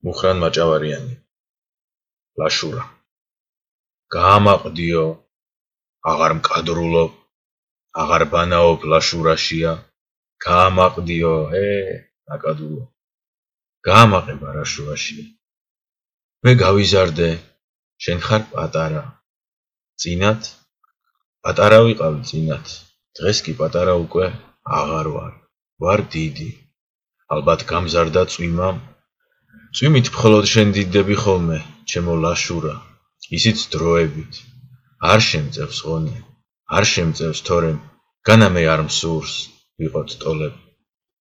მუხრან მაჭავარიანი ლაშურა გაამაყდიო აღარ მკადრულობ აღარ ბანაობ ლაშურაშია გაამაყდიო ნაკადულო გაამაყება რაშურაშია მე გავიზარდე შენ ხარ პატარა წინათ პატარა ვიყავი წინათ დღეს კი პატარა უკვე აღარ ვარ დიდი ალბათ გამზარდა წვიმამ წვიმით მხოლოდ შენ დიდდები ხოლმე ჩემო ლაშურა ისიც დროებით არ შემწევს ღონე არ შემწევს თორემ განა მე არ მსურს ვიყოთ ტოლები